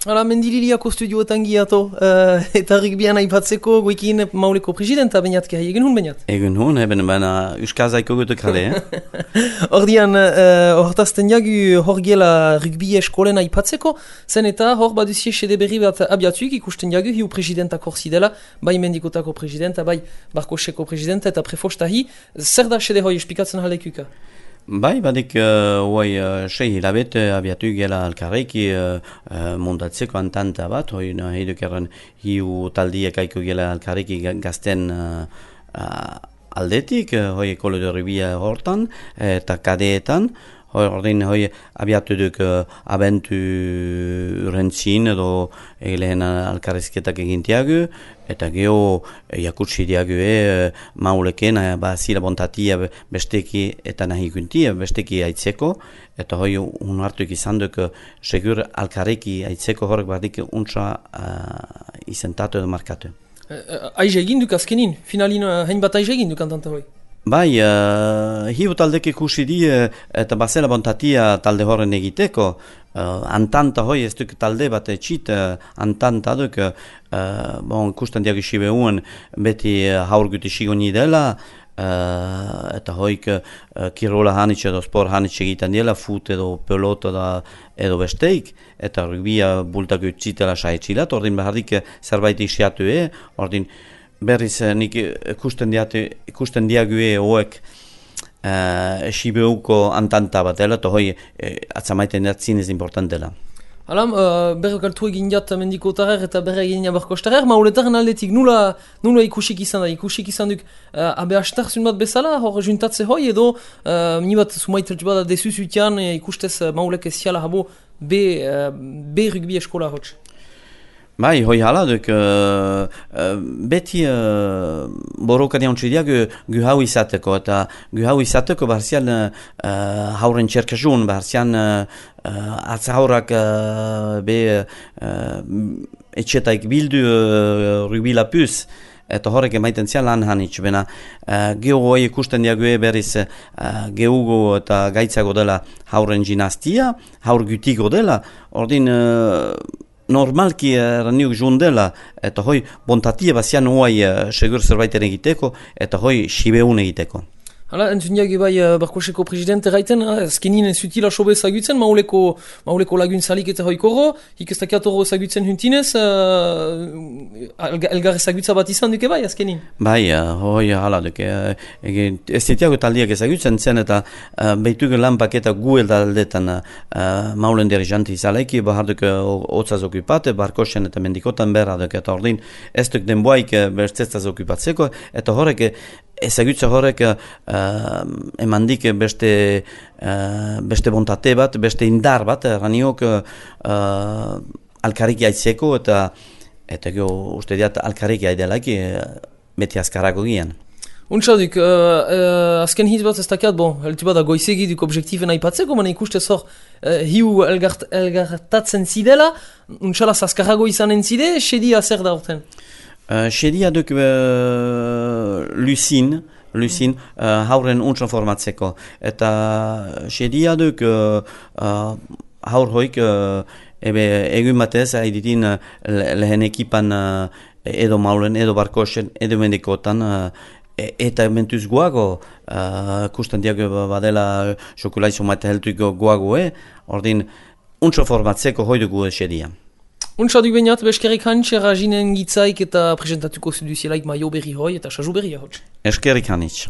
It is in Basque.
Hala, Mendililiako studioetan giato, eta rugbian aipatzeko goikin Mauleko presidenta bainatke, egin hun bainat? Egin hun, baina Euskazaiko gutuk jale, Ordian, hortazten jagu hor giela rugbi eskolen aipatzeko, zen eta hor baduzie sede berri bat abiatuik ikusten jagu hiu presidentak hor zidela, bai Mendikotako presidenta, bai Barkoseko presidenta eta prefostahi, zer da sede hoi espikatzen halekuka? Bai, badik sei hilabet abiatu gela alkarreki montatzeko antanta bat, hoi nahieduk erren hiu taldiek aiko gela alkarreki gazten aldetik, hoi ekolo de rubia hortan eta kadeetan, ordin hoi abiatu duk abentu rentzin edo lehen alkarrezketak egintiagu, eta geho jakutsi diagu mauleken zila bontatia besteki eta nahi guntia besteki aitzeko, eta hoi unartuik izan duk segur alkarreki aitzeko horrek badik untsa izentatu edo markatu. Aize egin duk azkenin, finalin hain bat aize egin duk antanta hoi? Bai, hiu taldek ikusi di eta bazela bontatia talde horren egiteko, antanta hoi ez duk talde bat etxit, antanta duk, ikusten diagu uen beti haurguti sigoni dela, eta hoik kirola hanitz edo sport hanitz egiten dela, fut edo pelota edo besteik, eta rugbia bultago utzitela saetxilat, ordin behardik zerbait isiatu ordin berriz nik ikusten diagu hoek Sibeuko antanta bat dela, eta hoi atzamaiten zinez important dela. Hala, berrek altu egin jat Mendikotarer eta berre egin Barkostarer, mauletaren aldetik nula ikusik izan da? Ikusik izan duk abe hastarzun bat bezala, hor juntatze hoi edo ni bat sumaitetz bat desuz utian ikustez maulek eziala habo be rugby eskola hotz. Bai, hoi hala duk, beti borroka diantzidia gu hau izateko, eta gu hau izateko barzian hauren txerkasun, barzian atzahaurak etxetaik bildu rugby lapuz, eta horrek emaiten zian lan hanitz, bena geho hoi ikusten diagu berriz gehugo eta gaitzago dela hauren ginastia, haur gutiko dela, ordin normalki raniuk jundela, eta hoi bontatia bazian hoai segur zerbaiten egiteko, eta hoi sibeun egiteko. Hala, entzun diagi bai Barkoseko presidente gaiten, azkenin zutila sobe ezagutzen, mauleko laguntzalik eta hoikoro, ikestakiat horro ezagutzen huntinez, elgar ezagutza bat izan duke bai azkenin? Bai, hoi hala duke, ez ditiago taldiak ezagutzen zen, eta behitugu lan paketa gu aldetan maulen dirijanti izalaiki, bahar duke hotzaz okupate, Barkosen eta Mendikotan berra duke, eta ordin ez duk denboaik bertzetzaz okupatzeko, eta horrek ezagutza horrek emandik beste bontate bat, beste indar bat, raniok alkarriki aitzeko eta uste diat alkarriki aidelaki beti azkarako gian. Untxadik, azken hitz bat ez dakiat, heltu bat goizegi duk objektiven aipatzeko, mana ikustez hor hiu elgartatzen zidela, untxalaz azkarrago izanen zide, sedia zer da horten? Sedia duk Lucin hauren untsan formatzeko. Eta sedia duk haur hoik egun batez haiditin lehen ekipan edo maulen, edo Barkosen, edo Mendikotan eta mentuz guago kusten diago badela xokulaizu maite heltuiko guago ordin untsan formatzeko hoi dugu sedia. Untxadik bainat, beskerik hantxe, rajinen gitzaik eta presentatuko zuduzielaik maio berri hoi eta sazu berri hotz. Eskerik hanitz.